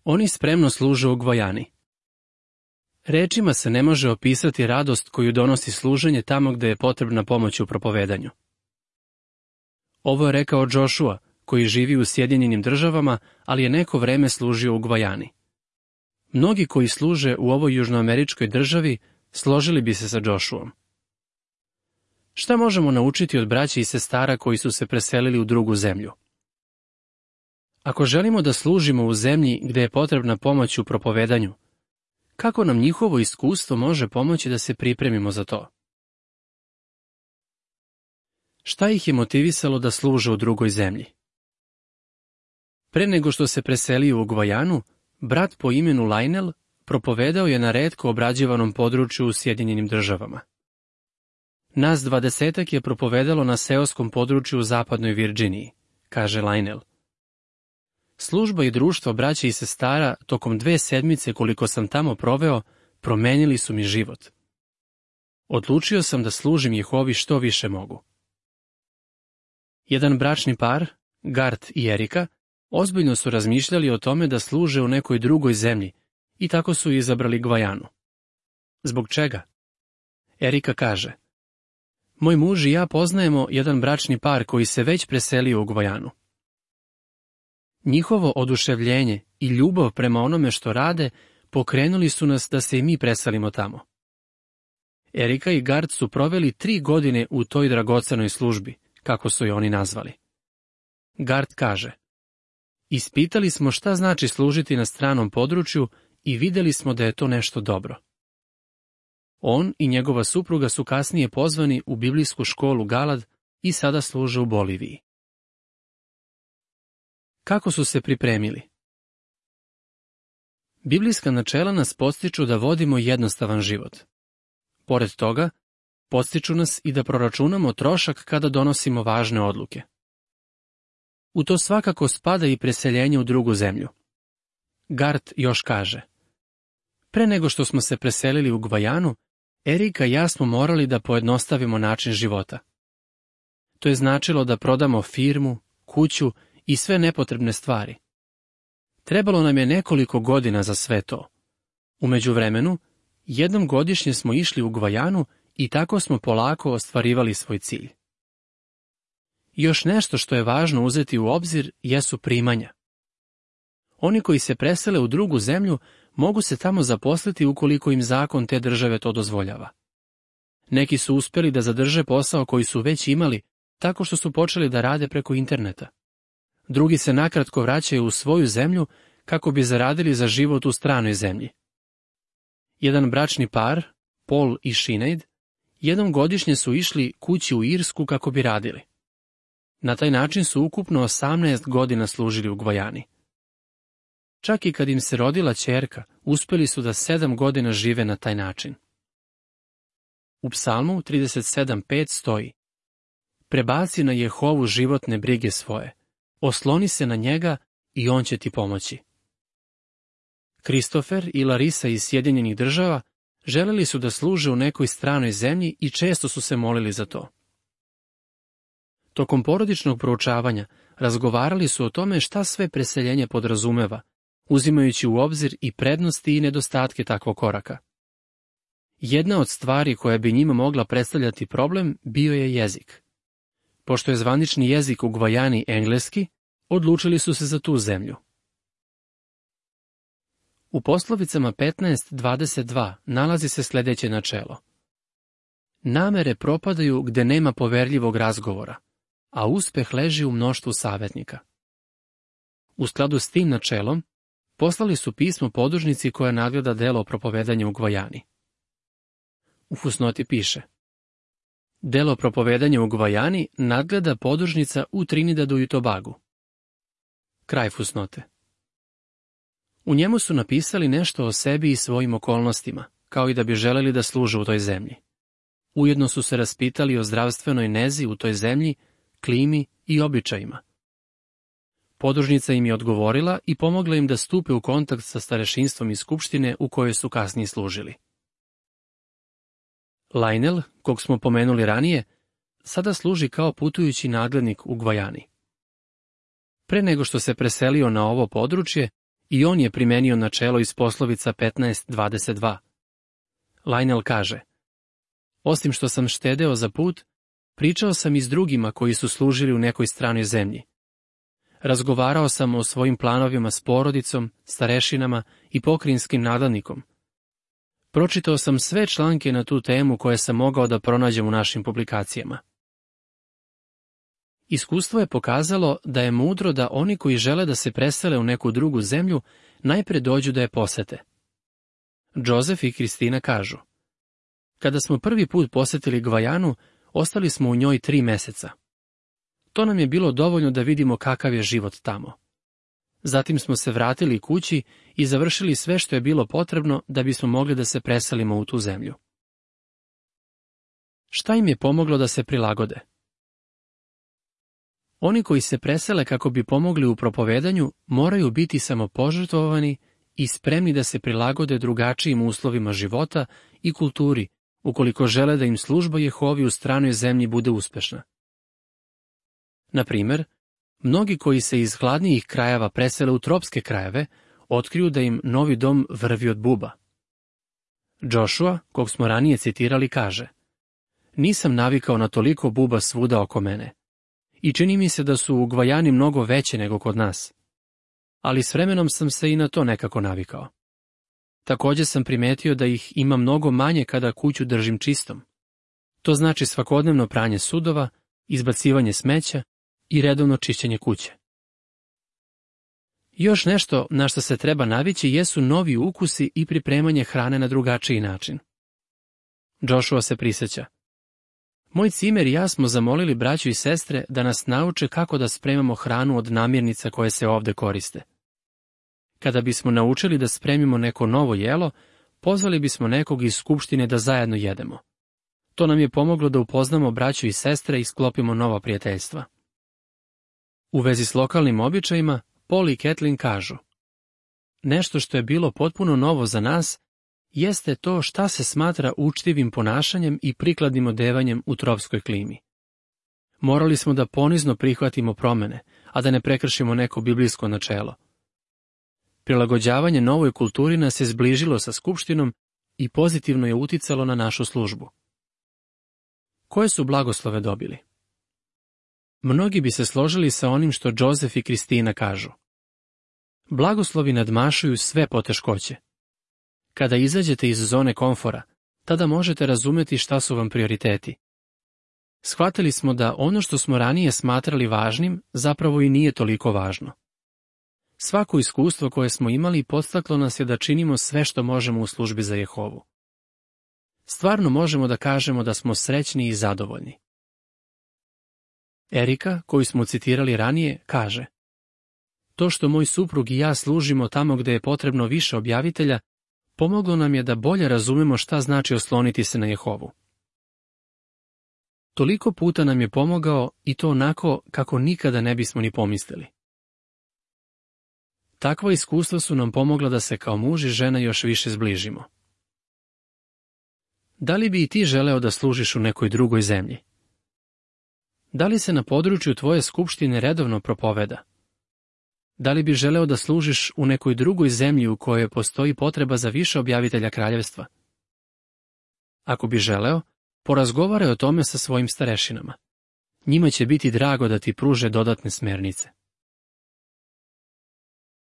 Oni spremno služe u Gvajani. Rečima se ne može opisati radost koju donosi služenje tamo gde je potrebna pomoć u propovedanju. Ovo je rekao Joshua, koji živi u Sjedinjenim Državama, ali je neko vreme služio u Gvajani. Mnogi koji služe u ovoj južnoameričkoj državi složili bi se sa Joshuom. Šta možemo naučiti od braće i sestara koji su se preselili u drugu zemlju? Ako želimo da služimo u zemlji gde je potrebna pomoć u propovedanju, kako nam njihovo iskustvo može pomoći da se pripremimo za to? Šta ih je motivisalo da služe u drugoj zemlji? Pre nego što se preselio u Gvajanu, brat po imenu Lionel propovedao je na retko obrađivanom području u Sjedinjenim Državama. Nas 20 je propovedalo na seoskom području u zapadnoj Virdžiniji, kaže Lionel. Služba i društvo braće i sestara tokom 2 sedmice koliko sam tamo proveo, promenili su mi život. Odlučio sam da služim Jehovi što više mogu. Jedan bračni par, Gart i Erika, ozbiljno su razmišljali o tome da služe u nekoj drugoj zemlji i tako su izabrali Gvajanu. Zbog čega? Erika kaže: Moj muž i ja poznajemo jedan bračni par koji se već preselio u Gvajanu. Njihovo oduševljenje i ljubav prema onome što rade pokrenuli su nas da se i mi preselimo tamo. Erika i Gart su proveli 3 godine u toj dragocenoj službi, kako su je oni nazvali. Gart kaže: Ispitali smo šta znači služiti na stranom području i videli smo da je to nešto dobro. On i njegova supruga su kasnije pozvani u biblijsku školu Galad i sada služe u Boliviji. Kako su se pripremili? Biblijska načela nas podstiču da vodimo jednostavan život. Pored toga, podstiču nas i da proračunamo trošak kada donosimo važne odluke. U to svakako spada i preseljenje u drugu zemlju. Gart još kaže: Pre nego što smo se preselili u Gvajanu, Erika i ja smo morali da pojednostavimo način života. To je značilo da prodamo firmu, kuću i sve nepotrebne stvari. Trebalo nam je nekoliko godina za sve to. U međuvremenu, jednom godišnje smo išli u Gvajanu i tako smo polako ostvarivali svoj cilj. Još nešto što je važno uzeti u obzir jesu primanja. Oni koji se presele u drugu zemlju mogu se tamo zaposliti ukoliko im zakon te države to dozvoljava. Neki su uspeli da zadrže posao koji su već imali tako što su počeli da rade preko interneta. Drugi se nakratko vraćaju u svoju zemlju kako bi zaradili za život u stranoj zemlji. Jedan bračni par, Paul i Sinead, jednom godišnje su išli kući u Irsku kako bi radili. Na taj način su ukupno 18 godina služili u Gvajani. Čak i kad im se rodila ćerka, uspeli su da 7 godina žive na taj način. U Psalmu 37.5 stoji: Prebaci na Jehovu životne brige svoje, osloni se na njega i on će ti pomoći. Christopher i Larisa iz Sjedinjenih Država želeli su da služe u nekoj stranoj zemlji i često su se molili za to. Tokom porodičnog proučavanja razgovarali su o tome šta sve preseljenje podrazumeva, uzimajući u obzir i prednosti i nedostatke takvog koraka. Jedna od stvari koja bi njima mogla predstavljati problem bio je jezik. Pošto je zvanični jezik u Gvajani engleski, odlučili su se za tu zemlju. U poslovicama 15.22 nalazi se sljedeće načelo: Namere propadaju gde nema poverljivog razgovora, a uspeh leži u mnoštvu savjetnika. U skladu s tim načelom, poslali su pismo podružnici koja nadgleda delo propovedanja u Gvajani. U fusnoti piše: Delo propovedanja u Gvajani nadgleda podružnica u Trinidadu i Tobagu. Kraj fusnote. U njemu su napisali nešto o sebi i svojim okolnostima, kao i da bi želeli da služe u toj zemlji. Ujedno su se raspitali o zdravstvenoj nezi u toj zemlji, klimi i običajima. Podružnica im je odgovorila i pomogla im da stupe u kontakt sa starešinstvom iz skupštine u kojoj su kasnije služili. Lionel, kog smo pomenuli ranije, sada služi kao putujući nadglednik u Gvajani. Pre nego što se preselio na ovo područje, I on je primenio načelo iz poslovica 15:22. Lionel kaže: osim što sam štedeo za put, pričao sam i s drugima koji su služili u nekoj stranoj zemlji. Razgovarao sam o svojim planovima s porodicom, starešinama i pokrajinskim nadležnikom. Pročitao sam sve članke na tu temu koje sam mogao da pronađem u našim publikacijama. Iskustvo je pokazalo da je mudro da oni koji žele da se presele u neku drugu zemlju najpre dođu da je posete. Joseph i Kristina kažu: kada smo prvi put posetili Gvajanu, ostali smo u njoj 3 meseca. To nam je bilo dovoljno da vidimo kakav je život tamo. Zatim smo se vratili kući i završili sve što je bilo potrebno da bismo mogli da se preselimo u tu zemlju. Šta im je pomoglo da se prilagode? Oni koji se presele kako bi pomogli u propovedanju moraju biti samopožrtvovani i spremni da se prilagode drugačijim uslovima života i kulturi, ukoliko žele da im služba Jehovi u stranoj zemlji bude uspešna. Na primer, mnogi koji se iz hladnijih krajeva presele u tropske krajeve, otkriju da im novi dom vrvi od buba. Joshua, kog smo ranije citirali, kaže: nisam navikao na toliko buba svuda oko mene. I čini mi se da su u Gvajani mnogo veće nego kod nas. Ali s vremenom sam se i na to nekako navikao. Također sam primetio da ih ima mnogo manje kada kuću držim čistom. To znači svakodnevno pranje sudova, izbacivanje smeća i redovno čišćenje kuće. Još nešto na što se treba navići jesu novi ukusi i pripremanje hrane na drugačiji način. Joshua se prisjeća: moj cimer i ja smo zamolili braću i sestre da nas nauče kako da spremamo hranu od namirnica koje se ovde koriste. Kada bismo naučili da spremimo neko novo jelo, pozvali bismo nekog iz skupštine da zajedno jedemo. To nam je pomoglo da upoznamo braću i sestre i sklopimo nova prijateljstva. U vezi s lokalnim običajima, Paul i Kathleen kažu: nešto što je bilo potpuno novo za nas jeste to šta se smatra učtivim ponašanjem i prikladnim odevanjem u tropskoj klimi. Morali smo da ponizno prihvatimo promene, a da ne prekršimo neko biblijsko načelo. Prilagođavanje novoj kulturi nas je zbližilo sa skupštinom i pozitivno je uticalo na našu službu. Koje su blagoslove dobili? Mnogi bi se složili sa onim što Joseph i Kristina kažu. Blagoslovi nadmašuju sve poteškoće. Kada izađete iz zone komfora, tada možete razumeti šta su vam prioriteti. Shvatili smo da ono što smo ranije smatrali važnim, zapravo i nije toliko važno. Svako iskustvo koje smo imali podstaklo nas je da činimo sve što možemo u službi za Jehovu. Stvarno možemo da kažemo da smo srećni i zadovoljni. Erika, koju smo citirali ranije, kaže: to što moj suprug i ja služimo tamo gde je potrebno više objavitelja, pomoglo nam je da bolje razumemo šta znači osloniti se na Jehovu. Toliko puta nam je pomogao i to onako kako nikada ne bismo ni pomislili. Takva iskustva su nam pomogla da se kao muž i žena još više zbližimo. Da li bi i ti želeo da služiš u nekoj drugoj zemlji? Da li se na području tvoje skupštine redovno propoveda? Da li bi želeo da služiš u nekoj drugoj zemlji u kojoj postoji potreba za više objavitelja kraljevstva? Ako bi želeo, porazgovaraj o tome sa svojim starešinama. Njima će biti drago da ti pruže dodatne smernice.